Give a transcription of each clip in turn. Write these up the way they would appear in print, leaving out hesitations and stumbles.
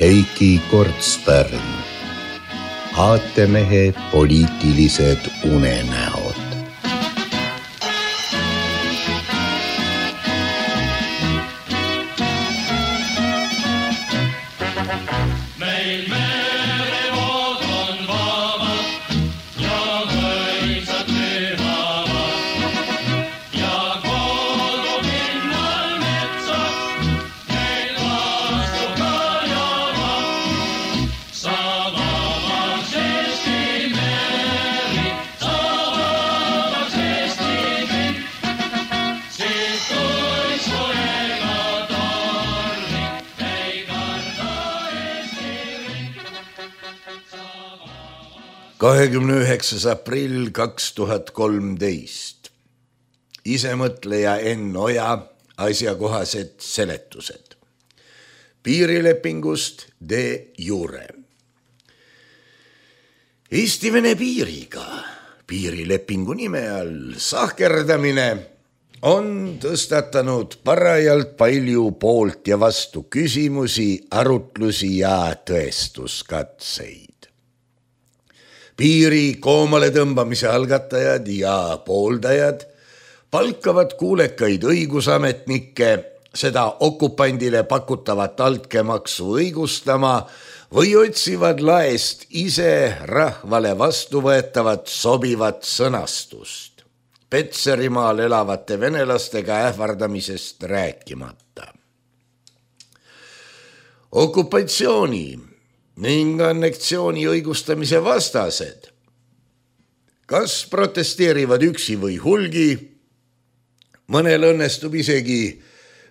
Heiki Kortspärn, aatemehe poliitilised unenäod. Meil merevood on vabad ja mõisad pühavad ja koodub linnal metsad, meil vastu ka javad. Sa vabaks Eesti meri, sa vabaks Eesti kõik, siis kui soega tormi ei karda Eesti riik. 29. aprill 2013. Isemõtleja Enn Oja asjakohased seletused. Piirilepingust de jure. Eesti-Vene piiriga piirilepingu nime all sahkerdamine on tõstatanud parajalt palju poolt ja vastu küsimusi, arutlusi ja tõestuskatseid. Piiri koomale tõmbamise algatajad ja pooldajad palkavad kuulekaid õigusametnikke seda okupandile pakutavat altkäemaksu õigustama või otsivad laest ise rahvale vastuvõetavat sobivat sõnastust, Petserimaal elavate venelastega ähvardamisest rääkimata. Okupatsiooni ning anneksiooni õigustamise vastased kas protesteerivad üksi või hulgi, mõnel õnnestub isegi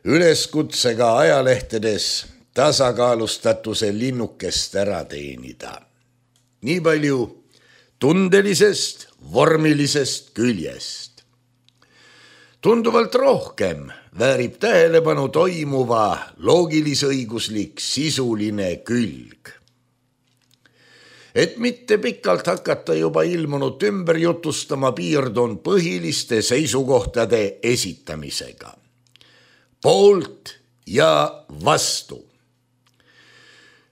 üleskutsega ajalehtedes tasakaalustatuse linnukest ära teenida. Nii palju tundelisest, vormilisest küljest. Tunduvalt rohkem väärib tähelepanu toimuva loogilis-õiguslik sisuline külg. Et mitte pikalt hakata juba ilmunut ümber jutustama, piirdun põhiliste seisukohtade esitamisega. Poolt ja vastu.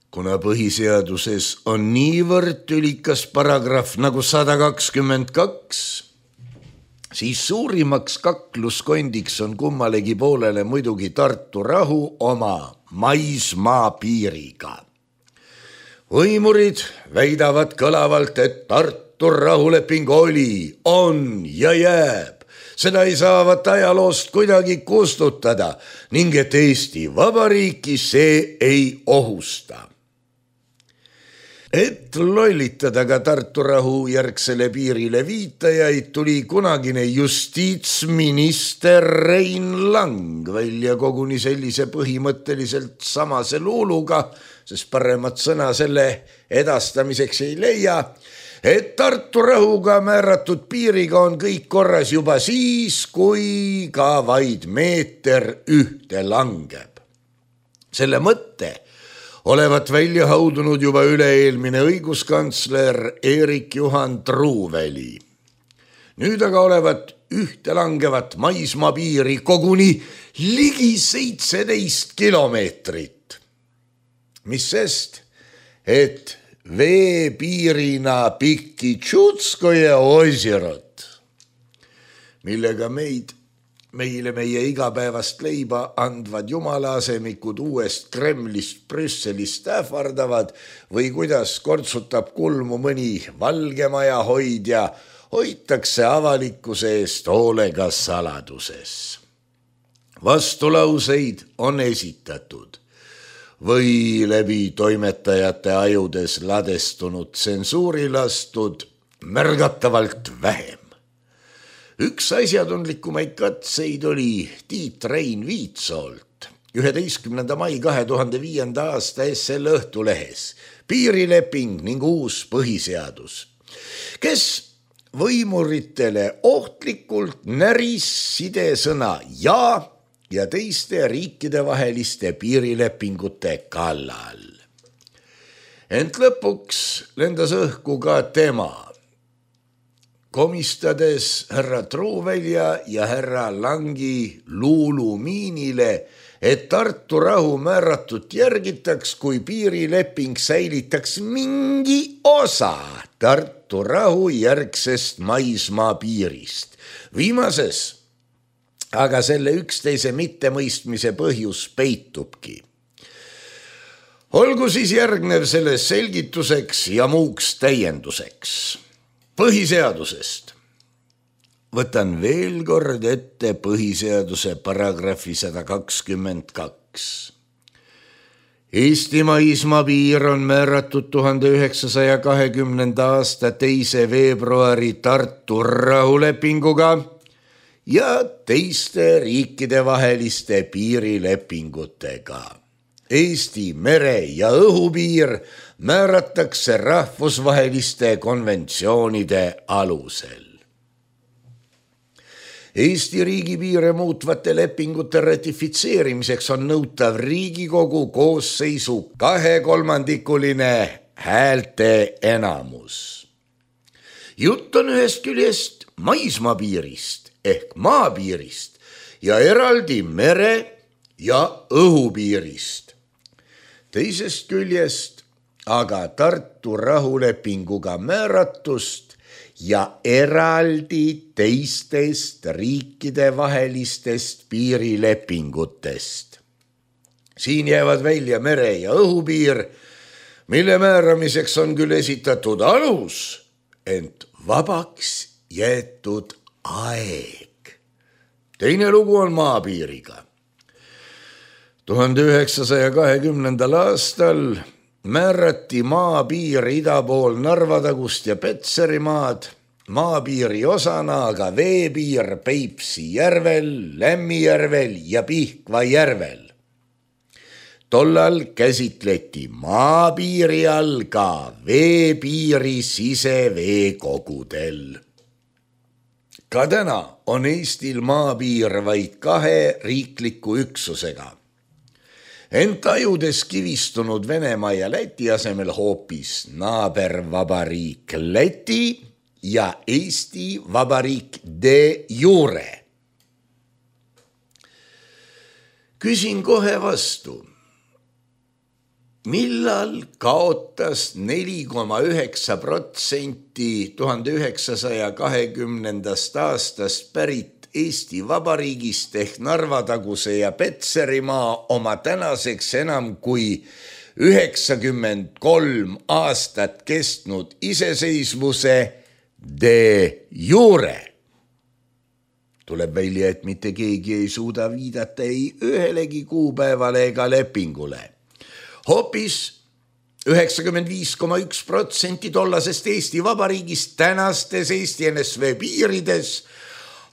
Kuna põhiseaduses on niivõrd tülikas paragrahv nagu 122, siis suurimaks kakluskondiks on kummalegi poolele muidugi Tartu rahu oma maismaa piiriga. Võimurid väidavad kõlavalt, et Tartu rahuleping oli, on ja jääb. Seda ei saavat ajaloost kuidagi kustutada ning et Eesti Vabariiki see ei ohusta. Et lollitada ka Tartu rahu järgsele piirile viitajaid, tuli kunagine justiitsminister Rein Lang välja koguni sellise põhimõtteliselt samase luuluga, sest paremat sõna selle edastamiseks ei leia, et Tartu rahuga määratud piiriga on kõik korras juba siis, kui ka vaid meeter ühte langeb. Selle mõtte olevat välja haudunud juba üle-eelmine õiguskantsler Eerik-Juhan Truuväli. Nüüd aga olevat ühte langevat maismaapiiri koguni ligi 17 kilomeetrit. Mis sest, et veepiirina pikki Tšutskoje osirat, millega meile meie igapäevast leiba andvad jumalaaasemikud uuest Kremlist Brüsselist ähvardavad või kuidas kortsutab kulmu mõni Valgemaja hoidja, hoitakse avalikkuse eest hoolega saladuses. Vastulauseid on esitatud või läbi toimetajate ajudes ladestunud tsensuuri lastud märgatavalt vähem. Üks asjatundlikumaid katseid oli Tiit Rein Viitsoolt 11. mai 2005. aasta SL Õhtulehes piirileping ning uus põhiseadus, kes võimuritele ohtlikult näris sidesõna ja teiste riikidevaheliste piirilepingute kallal. Ent lõpuks lendas õhku ka tema, komistades härra Truuvälja ja härra Langi luulumiinile, et Tartu rahu määratut järgitaks, kui piirileping säilitaks mingi osa Tartu rahu järgsest maismaa piirist. Viimases aga selle üksteise mittemõistmise põhjus peitubki. Olgu siis järgnev selles selgituseks ja muuks täienduseks. Põhiseadusest. Võtan veel kord ette põhiseaduse paragrahvi 122. Eesti maismaapiir on määratud 1920. aasta 2. veebruari Tartu rahulepinguga ja teiste riikide vaheliste piirilepingutega. Eesti mere- ja õhupiir määratakse rahvusvaheliste konventsioonide alusel. Eesti riigipiire muutvate lepingute ratifitseerimiseks on nõutav Riigikogu koosseisu 2/3 häälte enamus. Jutt on ühest küljest maismaapiirist ehk maapiirist ja eraldi mere- ja õhupiirist. Teisest küljest aga Tartu rahulepinguga määratust ja eraldi teistest riikide vahelistest piirilepingutest. Siin jäävad välja mere- ja õhupiir, mille määramiseks on küll esitatud alus, ent vabaks jäetud aeg. Teine lugu on maapiiriga. 1920. aastal määrati maapiir ida pool Narvatagust ja Petserimaad, maapiiri osana aga veepiir Peipsi järvel, Lämmijärvel ja Pihkva järvel. Tollal käsitleti maapiiri all ka veepiiri siseveekogudel. Ka täna on Eestil maapiir vaid 2 riikliku üksusega. Ent ajudes kivistunud Venemaa ja Läti asemel hoopis naabervabariik Läti ja Eesti Vabariik de jure. Küsin kohe vastu, millal kaotas 4,9% 1920. aastast pärit Eesti Vabariigist ehk Narvataguse ja Petserimaa oma tänaseks enam kui 93 aastat kestnud iseseisvuse de jure. Tuleb välja, et mitte keegi ei suuda viidata ei ühelegi kuupäevale ega lepingule. Hoopis 95,1% tollasest Eesti Vabariigist tänastes Eesti NSV piirides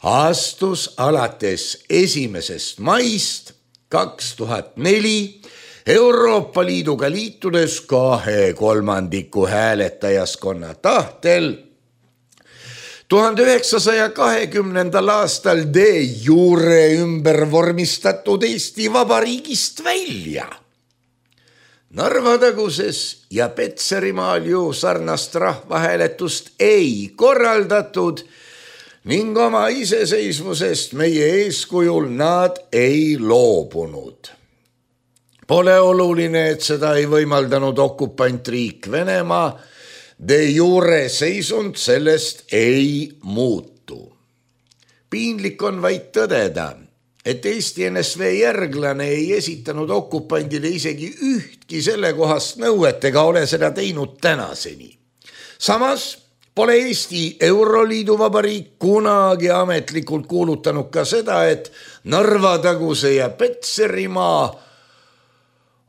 astus alates 1. maist 2004 Euroopa Liiduga liitudes 2/3 hääletajaskonna tahtel 1920. aastal de jure ümber vormistatud Eesti Vabariigist välja. Narvataguses ja Petserimaal ju sarnast rahvahääletust ei korraldatud ning oma iseseisvusest meie eeskujul nad ei loobunud. Pole oluline, et seda ei võimaldanud okupantriik Venemaa, de jure seisund sellest ei muutu. Piinlik on vaid tõdeda, et Eesti NSV järglane ei esitanud okupandile isegi ühtki sellekohast nõuet ega ole seda teinud tänaseni. Samas pole Eesti Euroliidu vabariik kunagi ametlikult kuulutanud ka seda, et Narvataguse ja Petserimaa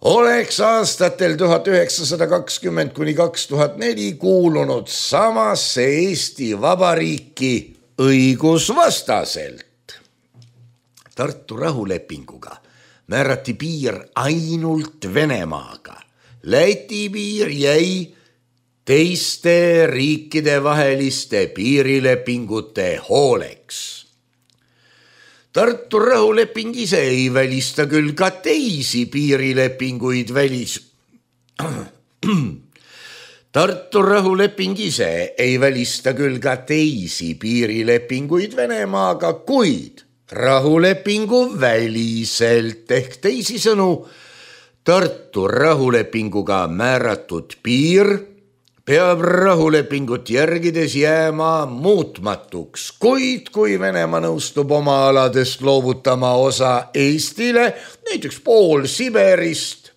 oleks aastatel 1920–2004 kuulunud samasse Eesti Vabariiki õigusvastaselt. Tartu rahulepinguga määrati piir ainult Venemaaga. Läti piir jäi teiste riikide vaheliste piirilepingute hooleks. Tartu rahuleping ise ei välista küll ka teisi piirilepinguid Tartu rahuleping ise ei välista küll ka teisi piirilepinguid Venemaaga, kuid rahulepingu väliselt ehk teisisõnu Tartu rahulepinguga määratud piir peab rahulepingut järgides jääma muutmatuks, kuid kui Venemaa nõustub oma aladest loovutama osa Eestile, näiteks pool Siberist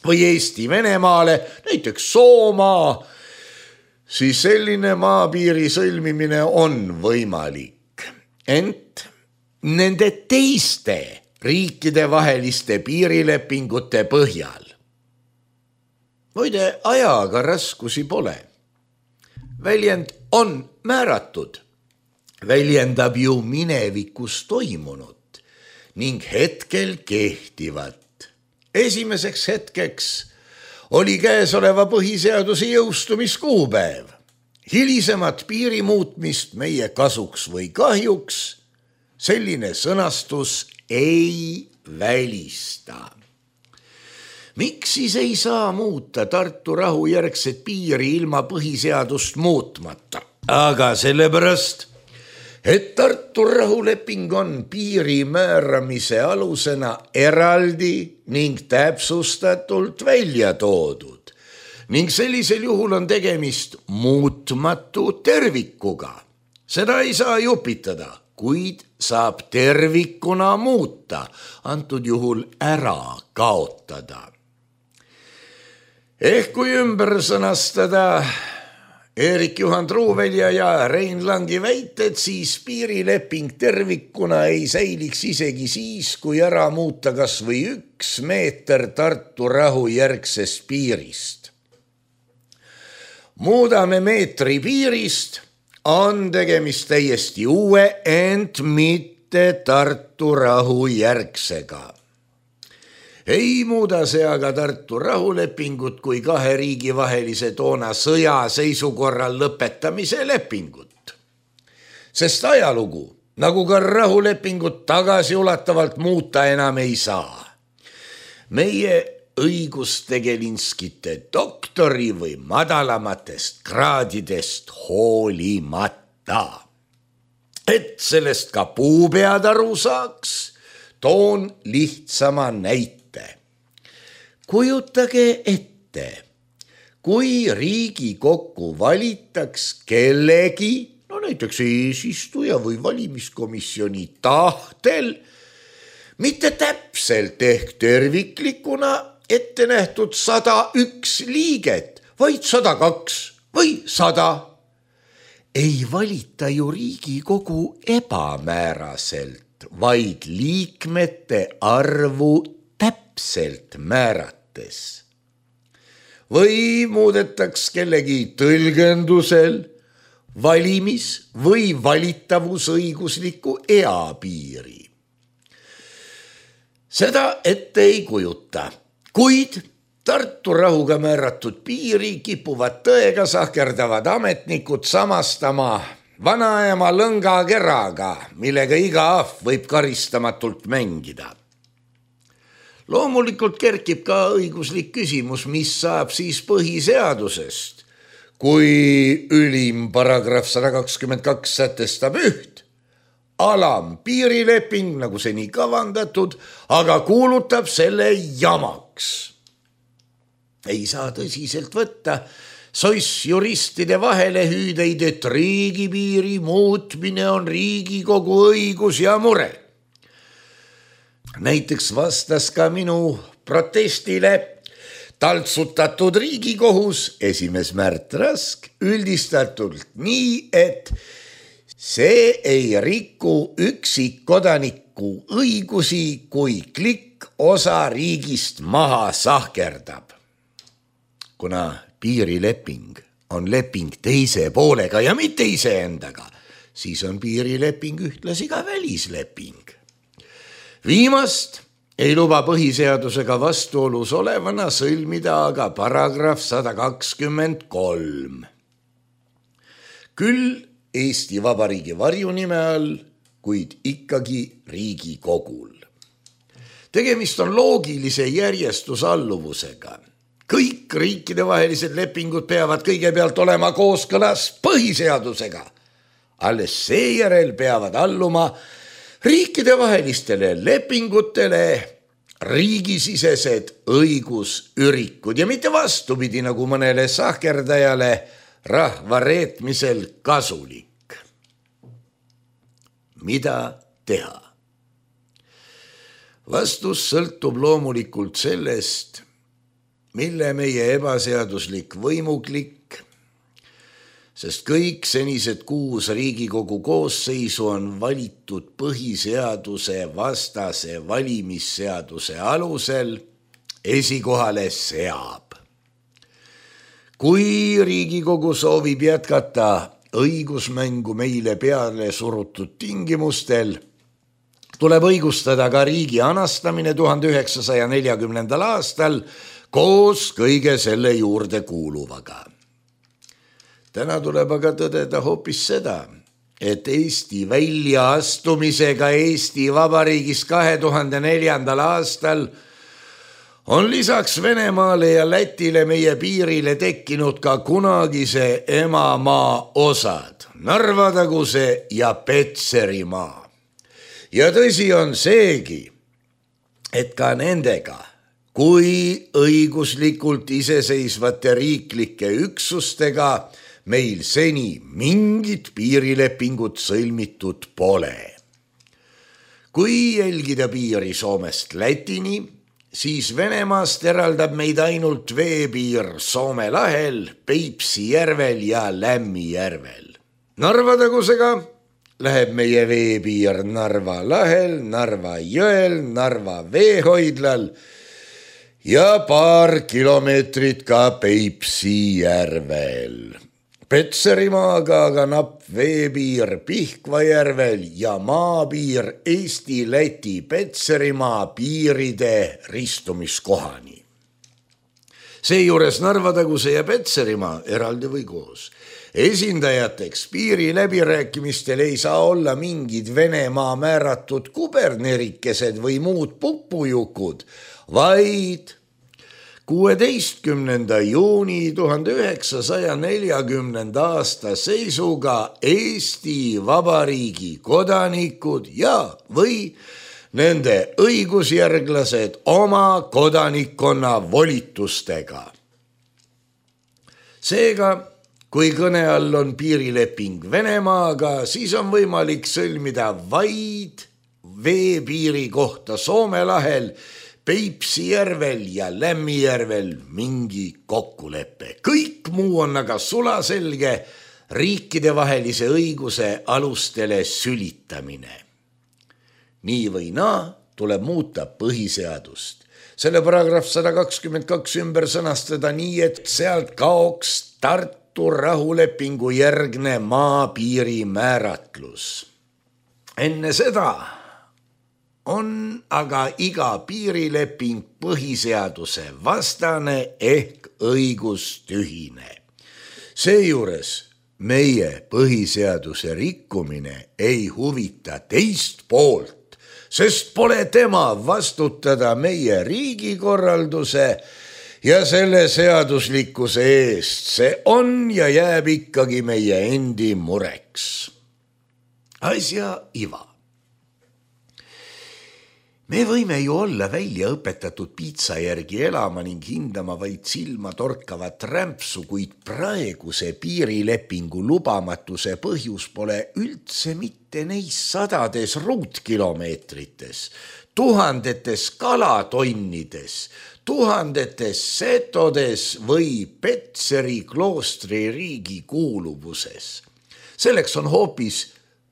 või Eesti Venemaale, näiteks Soomaa, siis selline maapiiri sõlmimine on võimalik. Ent nende teiste riikide vaheliste piirilepingute põhjal. Muide, ajaga raskusi pole. Väljend on määratud. Väljendab ju minevikus toimunut ning hetkel kehtivat. Esimeseks hetkeks oli käesoleva põhiseaduse jõustumiskuupäev. Hilisemat piiri muutmist meie kasuks või kahjuks selline sõnastus ei välista. Miks siis ei saa muuta Tartu rahu järgset piiri ilma põhiseadust muutmata? Aga sellepärast, et Tartu rahuleping on piiri määramise alusena eraldi ning täpsustatult välja toodud ning sellisel juhul on tegemist muutmatu tervikuga. Seda ei saa jupitada, kuid saab tervikuna muuta, antud juhul ära kaotada. Ehk kui ümber sõnastada Eerik-Juhan Truuvelja ja Rein Langi väited, siis piirileping tervikuna ei säiliks isegi siis, kui ära muuta kas või 1 meeter Tartu rahu järgsest piirist. Muudame meetri piirist, on tegemist täiesti uue, ent mitte Tartu rahu järgsega. Ei muuda see aga Tartu rahulepingut kui 2 riigi vahelise toona sõjaseisukorral lõpetamise lepingut. Sest ajalugu, nagu ka rahulepingut tagasiulatavalt muuta enam ei saa. Meie õigustegelinskite doktori või madalamatest kraadidest hoolimata. Et sellest ka puupead aru saaks, toon lihtsama näite. Kujutage ette, kui Riigikokku valitaks kellegi, no näiteks eesistuja või valimiskomisjoni tahtel, mitte täpselt ehk terviklikuna ette nähtud 101 liiget, vaid 102 või 100. Ei valita ju Riigikogu ebamääraselt, vaid liikmete arvu täpselt määrates. Või muudetaks kellegi tõlgendusel valimis- või valitavusõigusliku eapiiri. Seda ette ei kujuta, kuid Tartu rahuga määratud piiri kipuvad tõega sahkerdavad ametnikud samastama vanaema lõngakeraga, millega iga ahv võib karistamatult mängida. Loomulikult kerkib ka õiguslik küsimus, mis saab siis põhiseadusest, kui ülim paragrahv 122 sätestab üht, alam piirileping nagu seni kavandatud, aga kuulutab selle jamaks. Ei saa tõsiselt võtta soissjuristide vahelehüüdeid, et riigipiiri muutmine on Riigikogu õigus ja mure. Näiteks vastas ka minu protestile taltsutatud Riigikohus esimees Märt Rask üldistatult nii, et see ei riku üksikkodaniku õigusi, kui klikk osa riigist maha sahkerdab. Kuna piirileping on leping teise poolega ja mitte iseendaga, siis on piirileping ühtlasi ka välisleping. Viimast ei luba põhiseadusega vastuolus olevana sõlmida aga paragrahv 123. Küll Eesti Vabariigi varjunime all, kuid ikkagi Riigikogul. Tegemist on loogilise järjestusalluvusega. Kõik riikidevahelised lepingud peavad kõigepealt olema kooskõlas põhiseadusega. Alles seejärel peavad alluma riikidevahelistele lepingutele riigisisesed õigusürikud ja mitte vastupidi nagu mõnele sahkerdajale rahva reetmisel kasulik. Mida teha? Vastus sõltub loomulikult sellest, mille meie ebaseaduslik võimuklikk, sest kõik senised 6 Riigikogu koosseisu on valitud põhiseaduse vastase valimisseaduse alusel esikohale seab. Kui Riigikogu soovib jätkata õigusmängu meile peale surutud tingimustel, tuleb õigustada ka riigi anastamine 1940. aastal koos kõige selle juurde kuuluvaga. Täna tuleb aga tõdeda hoopis seda, et Eesti väljaastumisega Eesti Vabariigis 2004. aastal on lisaks Venemaale ja Lätile meie piirile tekkinud ka kunagise emamaa osad, Narva-taguse ja Petserimaa. Ja tõsi on seegi, et ka nendega kui õiguslikult iseseisvate riiklike üksustega meil seni mingit piirilepingut sõlmitud pole. Kui jälgida piiri Soomest Lätini, siis Venemaast eraldab meid ainult veepiir Soome lahel, Peipsi järvel ja Lämmi järvel. Narva-tagusega läheb meie veepiir Narva lahel, Narva jõel, Narva veehoidlal ja paar kilomeetrit ka Peipsi järvel. Petserimaaga aga napp veepiir Pihkva järvel ja maapiir Eesti-Läti Petserimaa piiride ristumiskohani. Seejuures Narva-taguse ja Petserimaa eraldi või koos. Esindajateks piiri läbirääkimistel ei saa olla mingid Venemaa määratud kubernerikesed või muud pupujukud, vaid 16. juuni 1940. aasta seisuga Eesti Vabariigi kodanikud ja või nende õigusjärglased oma kodanikkonna volitustega. Seega, kui kõne all on piirileping Venemaaga, siis on võimalik sõlmida vaid veepiiri kohta Soome lahel, Peipsi järvel ja Lämmi järvel mingi kokkulepe. Kõik muu on aga sulaselge riikidevahelise õiguse alustele sülitamine. Nii või naa tuleb muuta põhiseadust. Selle paragrahv 122 ümber sõnastada nii, et sealt kaoks Tartu rahulepingu järgne maapiiri määratlus. Enne seda on aga iga piirileping põhiseaduse vastane ehk õigustühine. Seejuures meie põhiseaduse rikkumine ei huvita teist poolt, sest pole tema vastutada meie riigikorralduse ja selle seaduslikkuse eest. See on ja jääb ikkagi meie endi mureks. Asja iva. Me võime ju olla välja õpetatud piitsa järgi elama ning hindama vaid silma torkavat rämpsu, kuid praeguse piirilepingu lubamatuse põhjus pole üldse mitte neis sadades ruutkilomeetrites, tuhandetes kalatonnides, tuhandetes setodes või Petseri kloostri riigi kuuluvuses. Selleks on hoopis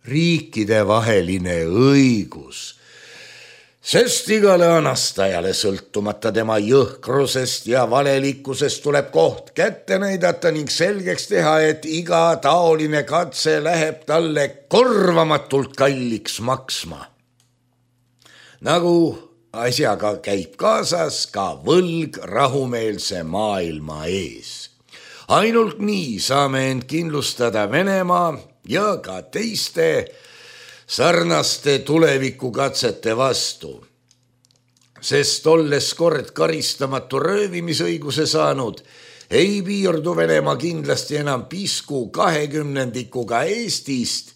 riikidevaheline õigus. Sest igale anastajale sõltumata tema jõhkrusest ja valelikkusest tuleb koht kätte näidata ning selgeks teha, et iga taoline katse läheb talle korvamatult kalliks maksma. Nagu asjaga käib kaasas ka võlg rahumeelse maailma ees. Ainult nii saame end kindlustada Venemaa ja ka teiste sarnaste tulevikukatsete vastu, sest olles kord karistamatu röövimisõiguse saanud, ei piirdu Venemaa kindlasti enam pisku 20% Eestist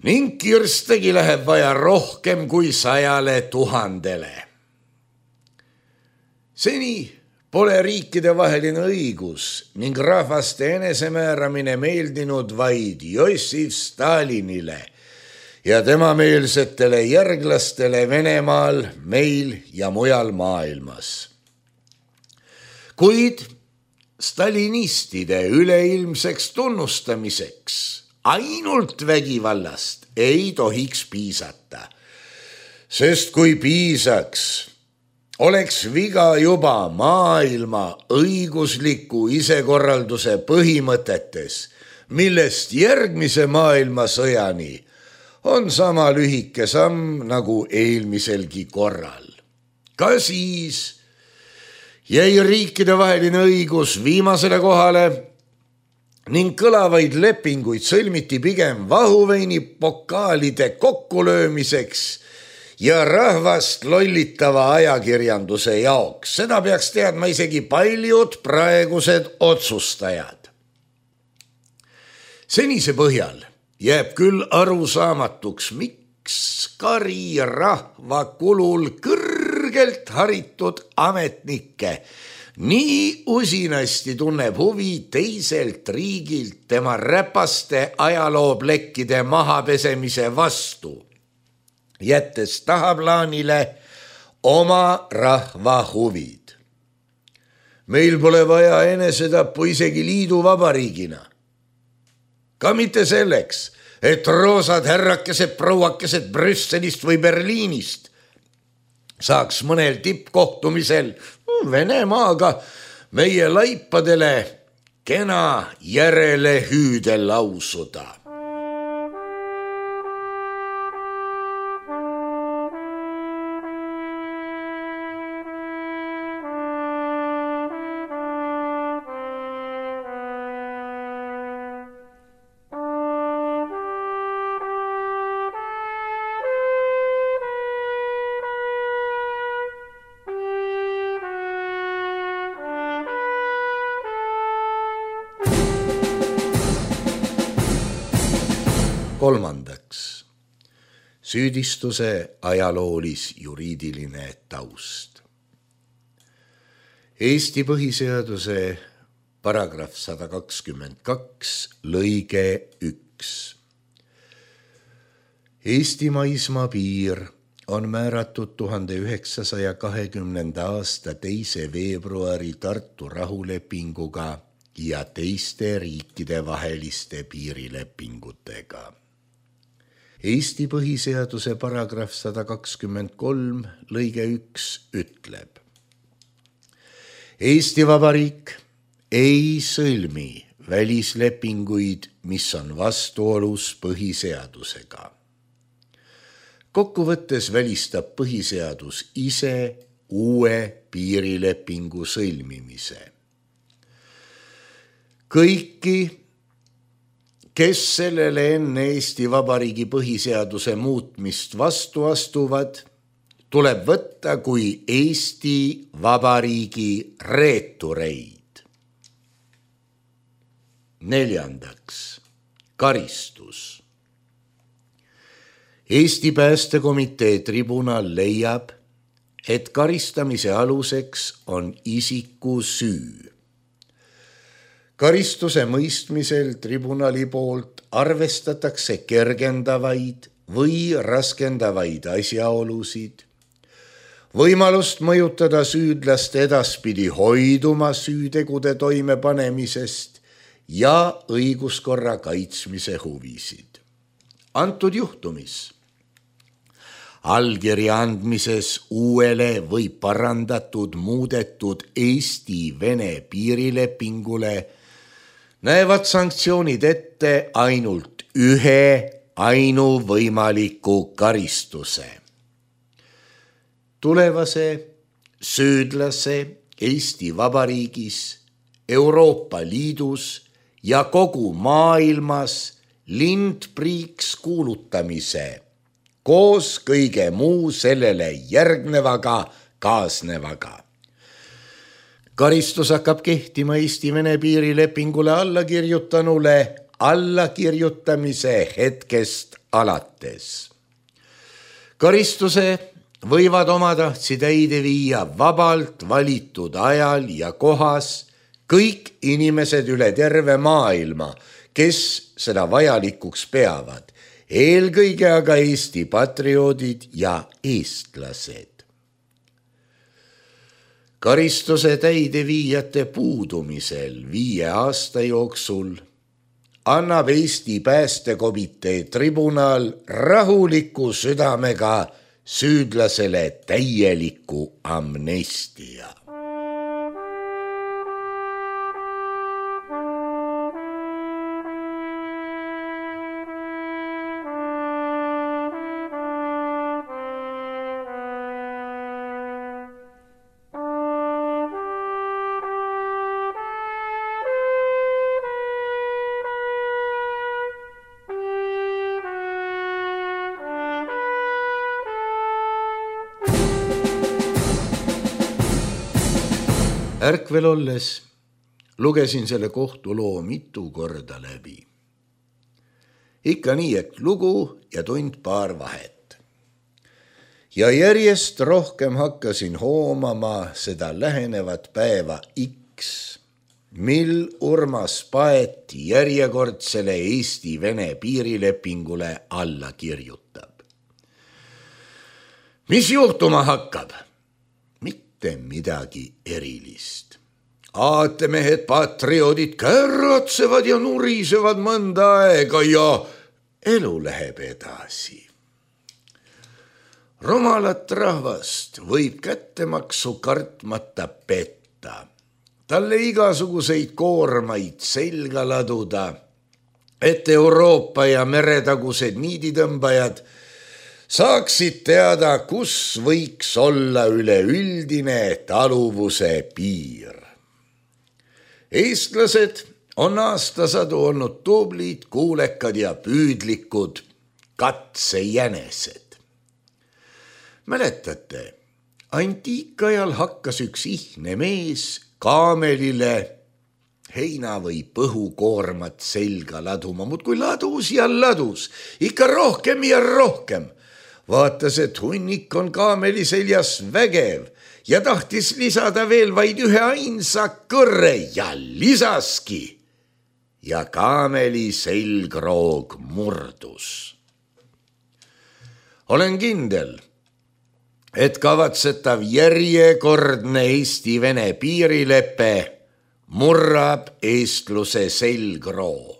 ning kirstegi läheb vaja rohkem kui 100 000. Seni pole riikidevaheline õigus ning rahvaste enesemääramine meeldinud vaid Jossif Stalinile ja tema meelsetele järglastele Venemaal, meil ja mujal maailmas. Kuid stalinistide üleilmseks tunnustamiseks ainult vägivallast ei tohiks piisata, sest kui piisaks, oleks viga juba maailma õigusliku isekorralduse põhimõtetes, millest järgmise maailmasõjani on sama lühike samm nagu eelmiselgi korral. Ka siis jäi riikidevaheline õigus viimasele kohale ning kõlavaid lepinguid sõlmiti pigem vahuveini pokaalide kokkulöömiseks ja rahvast lollitava ajakirjanduse jaoks. Seda peaks teadma isegi paljud praegused otsustajad. Senise põhjal jääb küll arusaamatuks, miks kari rahva kulul kõrgelt haritud ametnikke nii usinasti tunneb huvi teiselt riigilt tema räpaste ajalooplekkide mahapesemise vastu, jättes tahaplaanile oma rahva huvid. Meil pole vaja enesetappu isegi liiduvabariigina. Ka mitte selleks, et roosad härrakesed prouakesed Brüsselist või Berliinist saaks mõnel tippkohtumisel Venemaaga meie laipadele kena järelehüüde lausuda. Kolmandaks, süüdistuse ajaloolis-juriidiline taust. Eesti põhiseaduse paragrahv 122 lõige 1. Eesti maismaa piir on määratud 1920. aasta 2. veebruari Tartu rahulepinguga ja teiste riikide vaheliste piirilepingutega. Eesti põhiseaduse paragrahv 123 lõige 1 ütleb: Eesti Vabariik ei sõlmi välislepinguid, mis on vastuolus põhiseadusega. Kokkuvõttes välistab põhiseadus ise uue piirilepingu sõlmimise. Kõiki, kes sellele enne Eesti Vabariigi põhiseaduse muutmist vastu astuvad, tuleb võtta kui Eesti Vabariigi reetureid. Neljandaks, karistus. Eesti Päästekomitee tribunal leiab, et karistamise aluseks on isiku süü. Karistuse mõistmisel tribunali poolt arvestatakse kergendavaid või raskendavaid asjaolusid, võimalust mõjutada süüdlast edaspidi hoiduma süütegude toimepanemisest ja õiguskorra kaitsmise huvisid. Antud juhtumis allkirja andmises uuele või parandatud muudetud Eesti-Vene piirilepingule näevad sanktsioonid ette ainult ühe ainuvõimaliku karistuse. Tulevase süüdlase Eesti Vabariigis, Euroopa Liidus ja kogu maailmas lindpriiks kuulutamise koos kõige muu sellele järgnevaga kaasnevaga. Karistus hakkab kehtima Eesti-Vene piirilepingule allakirjutanule allakirjutamise hetkest alates. Karistuse võivad omatahtsi täide viia vabalt valitud ajal ja kohas kõik inimesed üle terve maailma, kes seda vajalikuks peavad, eelkõige aga Eesti patrioodid ja eestlased. Karistuse täideviijate puudumisel 5 aasta jooksul annab Eesti päästekomitee tribunal rahuliku südamega süüdlasele täieliku amnestia. Ärkvel olles lugesin selle kohtuloo mitu korda läbi. Ikka nii, et lugu ja tund-paar vahet. Ja järjest rohkem hakkasin hoomama seda lähenevat päeva X, mil Urmas Paet järjekordsele Eesti-Vene piirilepingule alla kirjutab. Mis juhtuma hakkab? Mitte midagi erilist. Aatemehed patrioodid kärratsevad ja nurisevad mõnda aega ja elu läheb edasi. Rumalat rahvast võib kättemaksu kartmata petta, talle igasuguseid koormaid selga laduda, et Euroopa ja meretagused niiditõmbajad saaksid teada, kus võiks olla üleüldine taluvuse piir. Eestlased on aastasadu olnud tublid, kuulekad ja püüdlikud katsejänesed. Mäletate, antiikajal hakkas üks ihne mees kaamelile heina või põhukoormat selga laduma, muudkui ladus ja ladus, ikka rohkem ja rohkem. Vaatas, et hunnik on kaameli seljas vägev ja tahtis lisada veel vaid ühe ainsa kõrre ja lisaski. Ja kaameli selgroog murdus. Olen kindel, et kavatsetav järjekordne Eesti-Vene piirilepe murrab eestluse selgroo.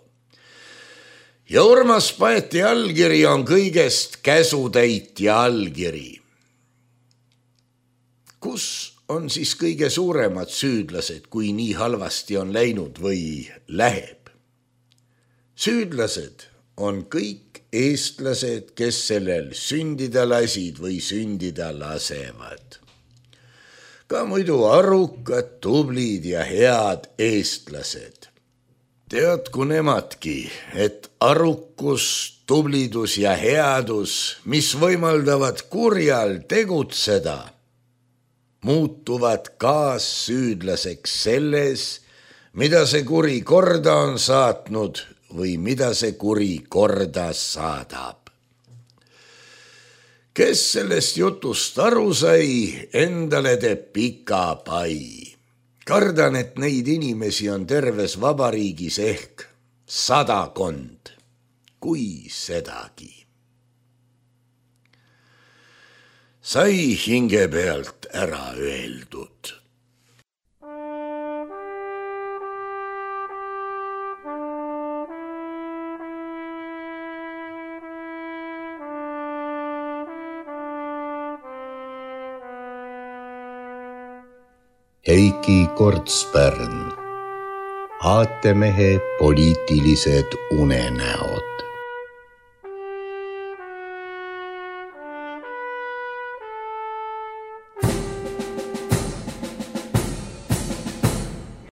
Ja Urmas Paeti allkiri on kõigest käsutäitja allkiri. Kus on siis kõige suuremad süüdlased, kui nii halvasti on läinud või läheb? Süüdlased on kõik eestlased, kes sellel sündida lasid või sündida lasevad. Ka muidu arukad, tublid ja head eestlased. Teadku nemadki, et arukus, tublidus ja headus, mis võimaldavad kurjal tegutseda, muutuvad kaassüüdlaseks selles, mida see kuri korda on saatnud või mida see kuri korda saadab. Kes sellest jutust aru sai, endale teeb pika pai. Kardan, et neid inimesi on terves vabariigis ehk 100, kui sedagi. Sai hinge pealt ära öeldud. Heiki Kortspärn, aatemehe poliitilised unenäod.